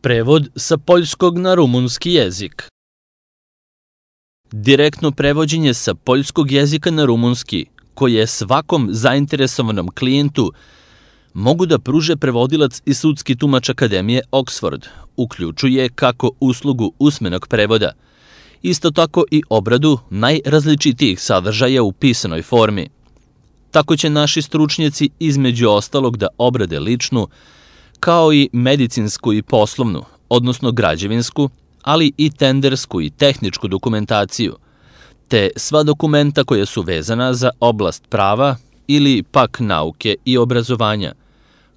Prevod sa poljskog na rumunski jezik. Direktno prevođenje sa poljskog jezika na rumunski, koje svakom zainteresovanom klijentu mogu da pruže prevodilac i sudski tumač Akademije Oxford, uključuje kako uslugu usmenog prevoda, isto tako i obradu najrazličitijih sadržaja u pisanoj formi. Tako će naši stručnjaci između ostalog da obrade ličnu, kao i medicinsku i poslovnu, odnosno građevinsku, ali i tendersku i tehničku dokumentaciju, te sva dokumenta koja su vezana za oblast prava ili pak nauke i obrazovanja,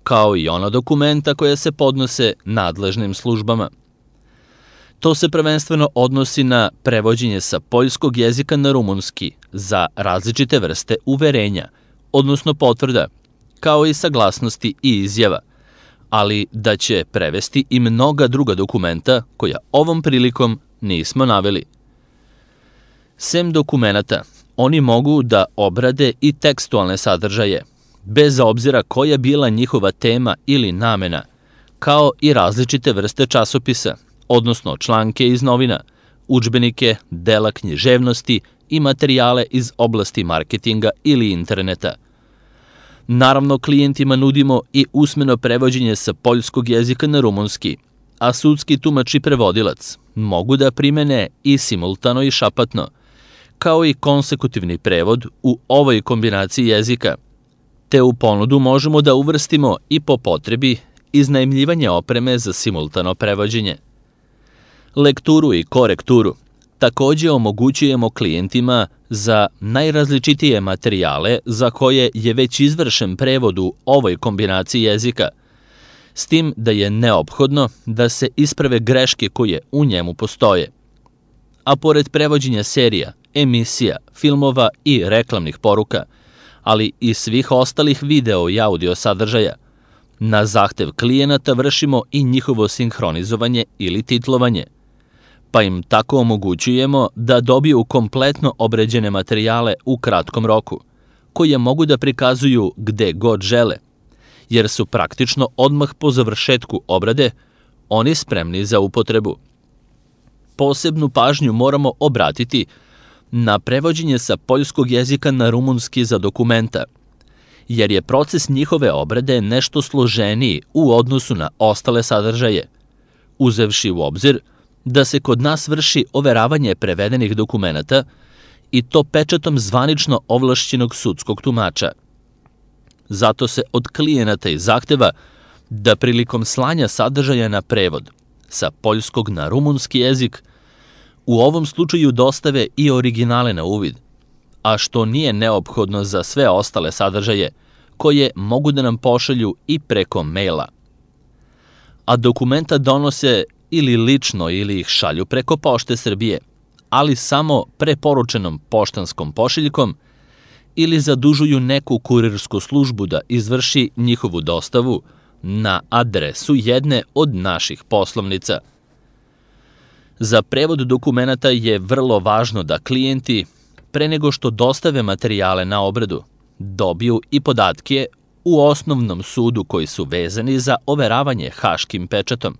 kao i ona dokumenta koja se podnose nadležnim službama. To se prvenstveno odnosi na prevođenje sa poljskog jezika na rumunski za različite vrste uverenja, odnosno potvrda, kao i saglasnosti i izjava, ali da će prevesti i mnoga druga dokumenta koja ovom prilikom nismo naveli. Sem dokumenata, oni mogu da obrade i tekstualne sadržaje, bez obzira koja bila njihova tema ili namena, kao i različite vrste časopisa, odnosno članke iz novina, udžbenike, dela književnosti i materijale iz oblasti marketinga ili interneta. Naravno, klijentima nudimo i usmeno prevođenje sa poljskog jezika na rumunski, a sudski tumač i prevodilac mogu da primene i simultano i šapatno, kao i konsekutivni prevod u ovoj kombinaciji jezika, te u ponudu možemo da uvrstimo i po potrebi iznajmljivanje opreme za simultano prevođenje. Lekturu i korekturu takođe omogućujemo klijentima za najrazličitije materijale za koje je već izvršen prevod u ovoj kombinaciji jezika, s tim da je neophodno da se isprave greške koje u njemu postoje. A pored prevođenja serija, emisija, filmova i reklamnih poruka, ali i svih ostalih video i audio sadržaja, na zahtev klijenata vršimo i njihovo sinhronizovanje ili titlovanje, pa im tako omogućujemo da dobiju kompletno obrađene materijale u kratkom roku, koje mogu da prikazuju gde god žele, jer su praktično odmah po završetku obrade oni spremni za upotrebu. Posebnu pažnju moramo obratiti na prevođenje sa poljskog jezika na rumunski za dokumenta, jer je proces njihove obrade nešto složeniji u odnosu na ostale sadržaje, uzevši u obzir da se kod nas vrši overavanje prevedenih dokumenata i to pečatom zvanično ovlašćenog sudskog tumača. Zato se od klijenata i zahteva da prilikom slanja sadržaja na prevod sa poljskog na rumunski jezik u ovom slučaju dostave i originale na uvid, a što nije neophodno za sve ostale sadržaje koje mogu da nam pošalju i preko maila. A dokumenta donose ili lično ili ih šalju preko Pošte Srbije, ali samo preporučenom poštanskom pošiljkom ili zadužuju neku kurirsku službu da izvrši njihovu dostavu na adresu jedne od naših poslovnica. Za prevod dokumenata je vrlo važno da klijenti, pre nego što dostave materijale na obradu, dobiju i podatke u osnovnom sudu koji su vezani za overavanje haškim pečatom.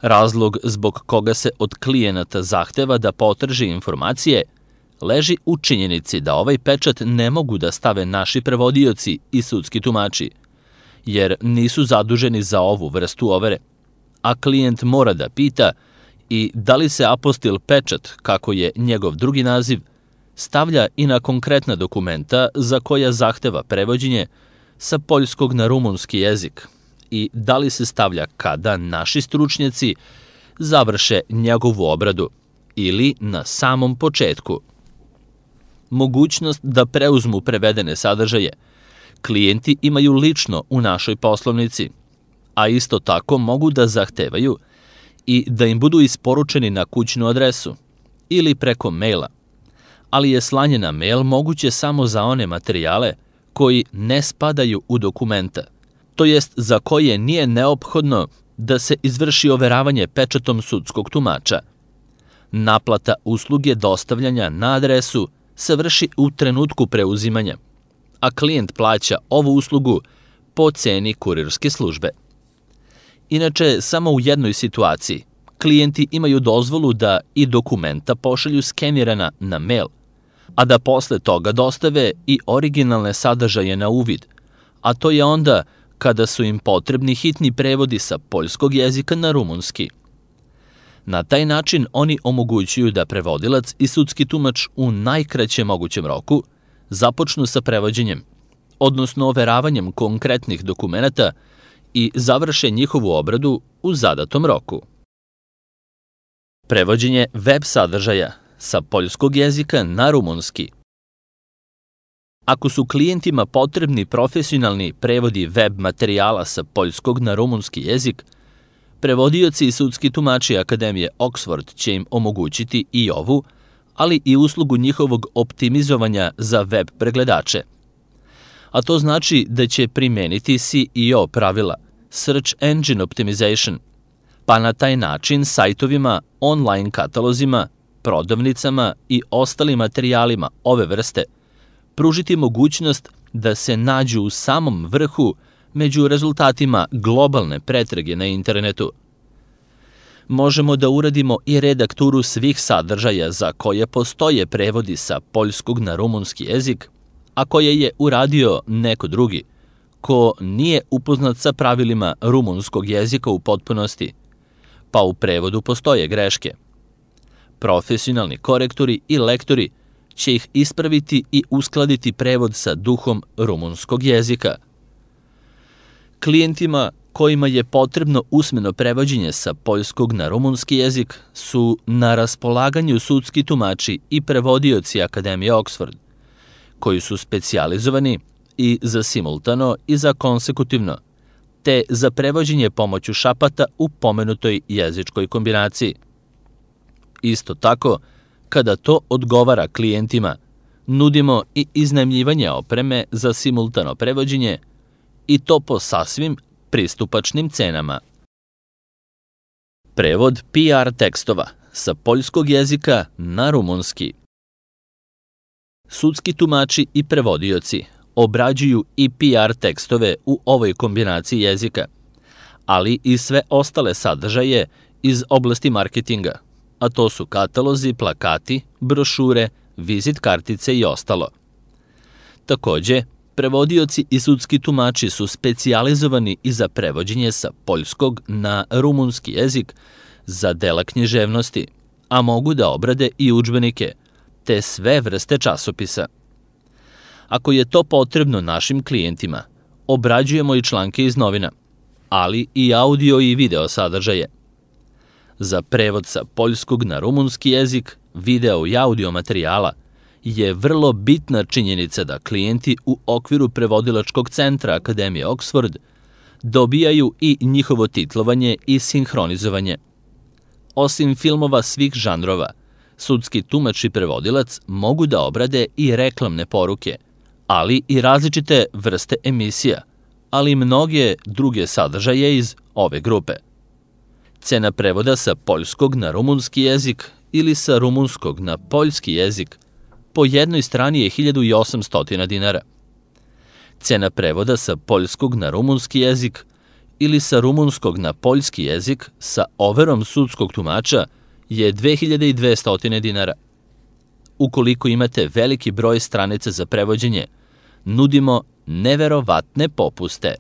Razlog zbog koga se od klijenata zahteva da potraži informacije leži u činjenici da ovaj pečat ne mogu da stave naši prevodioci i sudski tumači, jer nisu zaduženi za ovu vrstu overe, a klijent mora da pita i da li se apostil pečat, kako je njegov drugi naziv, stavlja i na konkretna dokumenta za koja zahteva prevođenje sa poljskog na rumunski jezik i da li se stavlja kada naši stručnjaci završe njegovu obradu ili na samom početku. Mogućnost da preuzmu prevedene sadržaje klijenti imaju lično u našoj poslovnici, a isto tako mogu da zahtevaju i da im budu isporučeni na kućnu adresu ili preko maila, ali je slanje na mail moguće samo za one materijale koji ne spadaju u dokumenta, to jest za koje nije neophodno da se izvrši overavanje pečatom sudskog tumača. Naplata usluge dostavljanja na adresu se vrši u trenutku preuzimanja, a klijent plaća ovu uslugu po ceni kurirske službe. Inače, samo u jednoj situaciji klijenti imaju dozvolu da i dokumenta pošalju skenirana na mail, a da posle toga dostave i originalne sadržaje na uvid, a to je onda kada su im potrebni hitni prevodi sa poljskog jezika na rumunski. Na taj način oni omogućuju da prevodilac i sudski tumač u najkraćem mogućem roku započnu sa prevođenjem, odnosno overavanjem konkretnih dokumenata i završe njihovu obradu u zadatom roku. Prevođenje web sadržaja sa poljskog jezika na rumunski. Ako su klijentima potrebni profesionalni prevodi web materijala sa poljskog na rumunski jezik, prevodioci i sudski tumači Akademije Oxford će im omogućiti i ovu, ali i uslugu njihovog optimizovanja za web pregledače. A to znači da će primeniti SEO pravila, Search Engine Optimization, pa na taj način sajtovima, online katalozima, prodavnicama i ostalim materijalima ove vrste pružiti mogućnost da se nađu u samom vrhu među rezultatima globalne pretrage na internetu. Možemo da uradimo i redakturu svih sadržaja za koje postoje prevodi sa poljskog na rumunski jezik, a koje je uradio neko drugi, ko nije upoznat sa pravilima rumunskog jezika u potpunosti, pa u prevodu postoje greške. Profesionalni korektori i lektori će ih ispraviti i uskladiti prevod sa duhom rumunskog jezika. Klijentima kojima je potrebno usmeno prevođenje sa poljskog na rumunski jezik su na raspolaganju sudski tumači i prevodioci Akademije Oxford, koji su specijalizovani i za simultano i za konsekutivno, te za prevođenje pomoću šapata u pomenutoj jezičkoj kombinaciji. Isto tako, kada to odgovara klijentima, nudimo i iznajmljivanje opreme za simultano prevođenje i to po sasvim pristupačnim cenama. Prevod PR tekstova sa poljskog jezika na rumunski. Sudski tumači i prevodioci obrađuju i PR tekstove u ovoj kombinaciji jezika, ali i sve ostale sadržaje iz oblasti marketinga, a to su katalozi, plakati, brošure, vizit kartice i ostalo. Takođe, prevodioci i sudski tumači su specijalizovani i za prevođenje sa poljskog na rumunski jezik za dela književnosti, a mogu da obrade i udžbenike, te sve vrste časopisa. Ako je to potrebno našim klijentima, obrađujemo i članke iz novina, ali i audio i video sadržaje. Za prevod sa poljskog na rumunski jezik, video i audio materijala je vrlo bitna činjenica da klijenti u okviru prevodilačkog centra Akademije Oxford dobijaju i njihovo titlovanje i sinhronizovanje. Osim filmova svih žanrova, sudski tumač i prevodilac mogu da obrade i reklamne poruke, ali i različite vrste emisija, ali i mnoge druge sadržaje iz ove grupe. Cena prevoda sa poljskog na rumunski jezik ili sa rumunskog na poljski jezik po jednoj strani je 1800 dinara. Cena prevoda sa poljskog na rumunski jezik ili sa rumunskog na poljski jezik sa overom sudskog tumača je 2200 dinara. Ukoliko imate veliki broj stranica za prevođenje, nudimo neverovatne popuste.